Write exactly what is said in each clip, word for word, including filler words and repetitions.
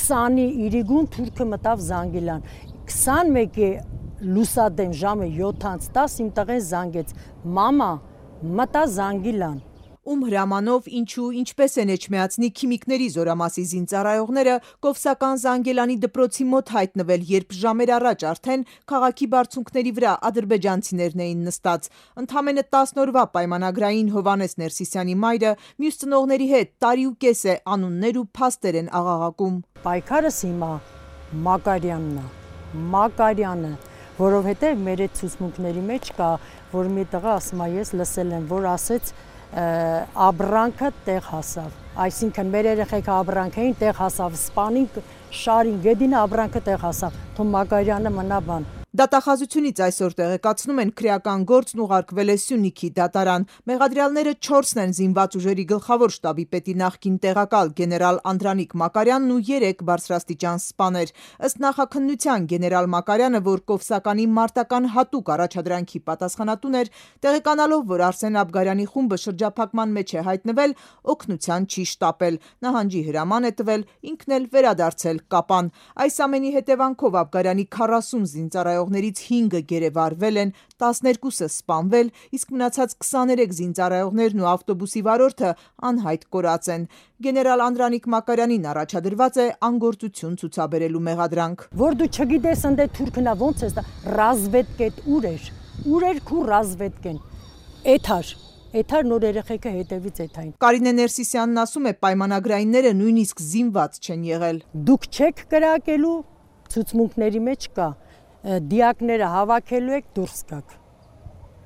քսանի իրիգուն թուրքը մտավ Զանգիլան, քսանմեկի լուսադեմ ժամը յոթից տասը իմ տղեն զանգեց, մամա մտա Զանգիլան։ Ում հրամանով, ինչու, ինչպես են էջմիածնի քիմիկների զորամասի զինծառայողները Կովսական Զանգելանի դպրոցի մոտ հայտնվել, երբ ժամեր առաջ արդեն քաղաքի բարձունքների վրա ադրբեջանցիներն էին նստած։ Ընդամենը տասն օրվա պայմանագրային Հովհաննես Ներսիսյանի մայրը մյուս ծնողների հետ տարի ու կես է անուններ ու փաստեր են աղաղակում։ Պայքարս հիմա Մակարյանն է, Մակարյանը, որովհետև մեր այդ ցուցմունքների մեջ կա, որ մի տղա ասում է, ես լսել եմ, որ ասեց աբրանքը տեղ հասավ, այսինքն մեր երեխեքը աբրանք էին, տեղ հասավ, սպանին, շարին, գեդինը աբրանքը տեղ հասավ, թող Մակարյանը մնա բան։ Դատախազությունից այսօր տեղեկացնում են քրեական գործն ուղարկվել է Սյունիքի դատարան։ Մեղադրյալները չորսն են զինված ուժերի գլխավոր շտաբի պետի նախկին տեղակալ գեներալ Անդրանիկ Մակարյանն ու երեք բարձրաստիճան սպաներ։ Ըստ նախաքննության գեներալ Մակարյանը, որ Կովսականի մարտական հատուկ առաջադրանքի պատասխանատուն էր, տեղեկանալով, որ Արսեն Աբգարյանի խումբը շրջափակման մեջ է հայտնվել, օգնության չի շտապել, նահանջի հրաման է տվել, ինքն էլ վերադարձել Կապան։ Այս ամենի հետևանքով Աբգարյանի քառասուն զինծառայողներից հինգը գերեվարվել են, տասներկուսը սպանվել, իսկ մնացած քսաներեք զինծառայողներն ու ավտոբուսի վարորդը անհայտ կորած են։ Գեներալ Անդրանիկ Մակարյանին առաջադրված է անգործություն ցուցաբերելու մեղադրանք։ Որ դու չգիտես ընդ թուրքնա ոնց է, ռազվեդկետ ուր էր, ուր էր քու ռազվեդկեն, էթար, էթար նոր երեխեքը հետևից էթային։ Կարինե Ներսիսյանն ասում է, պայմանագրայինները նույնիսկ զինված չեն եղել։ Դուք չեք կրակելու, ցուցմունքների մեջ կա, դիակները հավաքելու եք դուրս գաք,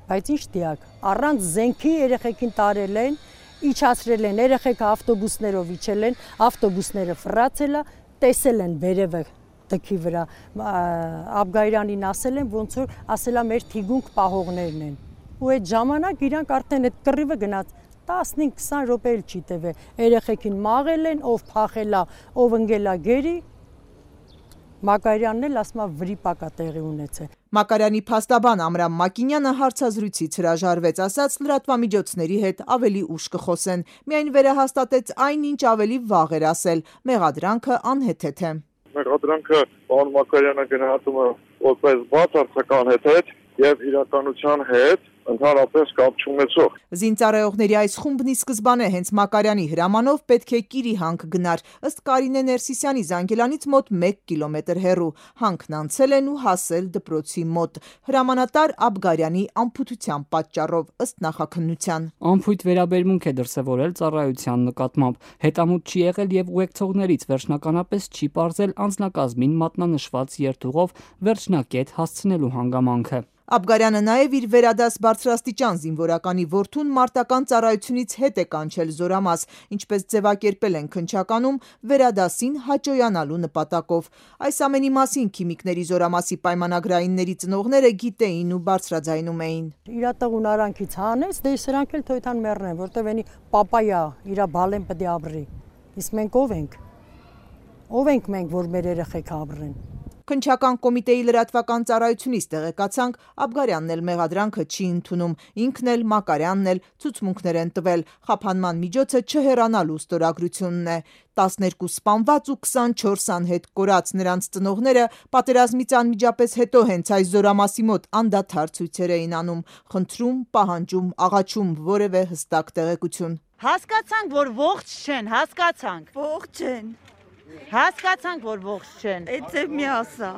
բայց ինչ դիակ, առանց զենքի երեխեքին տարել են, իջացրել են, երեխեքը ավտոբուսներով իջել են, ավտոբուսները ֆռացել է, տեսել են վերևը դքի վրա, Աբգայրանին ասել են, ոնց որ ասել է մեր թիգունք պահողներն են, ու այդ ժամանակ իրանք արդեն այդ կռիվը գնաց, տասնհինգ քսան րոպե էլ չի տևել, երեխեքին մաղել են, ով փախել է, ով ընկել է գերի, Մակարյանն էլ ասում է վրիպակա տեղի ունեցել։ Մակարյանի փաստաբան Ամրամ Մակինյանը հարցազրույցից հրաժարվեց, ասաց լրատվամիջոցների հետ ավելի ուշ կխոսեն, միայն վերահաստատեց այն, ինչ ավելի վաղ էր ասել, մեղադրանքը անհեթեթ է։ Մեղադրանքը պարոն Մակարյանը գնահատում է որպես բացարձակ հետ եւ իրականության հետ ընդհանրապես կապ չունեցող։ Զինծառայողների այս խումբն ի սկզբանե հենց Մակարյանի հրամանով պետք է Կիրի հանք գնար, ըստ Կարինե Ներսիսյանի Զանգելանից մոտ մեկ կիլոմետր հեռու, հանքն անցել են ու հասել դպրոցի մոտ, հրամանատար Աբգարյանի անփութության պատճառով, ըստ նախաքննության։ Անփույթ վերաբերմունք է դրսևորել ծառայության նկատմամբ, հետամուտ չի եղել եւ ուղեկցողներից վերջնականապես չի պարզել անձնակազմին մատնանշված երթուղով վերջնակետ հասցնելու հանգամանքը։ Աբգարյանը նաև իր վերադաս բարձրաստիճան զինվորականի որդուն մարտական ծառայությունից հետ է կանչել զորամաս, ինչպես ձևակերպել են քննչականում, վերադասին հաճոյանալու նպատակով։ Այս ամենի մասին քիմիկների զորամասի պայմանագրայինների ծնողները գիտեին ու բարձրաձայնում էին։ Իրա տղուն արանքից հանեց, դե սրանք էլ թոյթան մեռնեն, որտեվ էնի պապայա, իրա բալեն պետք է ապրի։ Իսկ մենք ով ենք։ Ով ենք մենք, որ մեր երեխեքը ապրեն։ Քննչական կոմիտեի լրատվական ծառայությունից տեղեկացանք, Աբգարյանն էլ մեղադրանքը չի ընդունում, ինքն էլ Մակարյանն էլ ցուցմունքներ են տվել, խափանման միջոցը չհեռանալու ստորագրությունն է։ տասներկու սպանված ու քսանչորս անհետ կորած, նրանց ծնողները պատերազմից անմիջապես հետո հենց այս զորամասի մոտ անդադար ցույցեր էին անում, խնդրում, պահանջում, աղաչում որևէ հստակ տեղեկություն։ Հասկացանք, որ ողջ չեն, հասկացանք։ Ողջ չեն։ Հասկացանք, որ ողջ չեն։ Էդ մի ասա։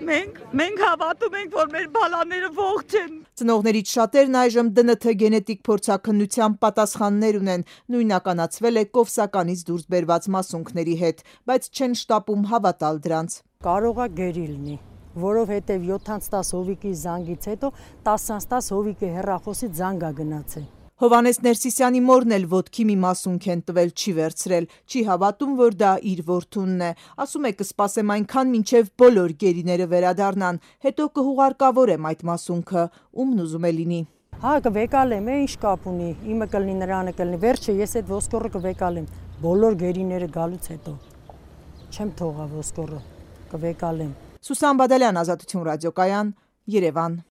Մենք մենք հավատում ենք, որ մեր բալաները ողջ են։ Ծնողներից շատերն այժմ դը ն թ գենետիկ փորձաքննության պատասխաններ ունեն, նույնականացվել է Կովսականից դուրս բերված մասունքների հետ, բայց չեն շտապում հավատալ դրանց։ Կարող է գերի լինի, որովհետև յոթից տասը հովիկի զանգից հետո տասից տասը հովիկի հեռախոսի զանգ է գնացել։ Հովհաննես Ներսիսյանի մորն էլ ոտքի մի մասունք են տվել, չի վերցրել, չի հավատում, որ դա իր որդունն է, ասում է կսպասեմ այնքան մինչև բոլոր գերիները վերադառնան, հետո կհուղարկավորեմ այդ մասունքը, ումն ուզում է լինի։ Հա կվեկալեմ, ինչ կապ ունի, իմը կլինի, նրանը կլինի, վերջը ես այդ ոսկորը կվեկալեմ, բոլոր գերիները գալուց հետո, չեմ թողա ոսկորը, կվեկալեմ։ Սուսան Բադալյան, Ազատություն ռադիոկայան, Երևան։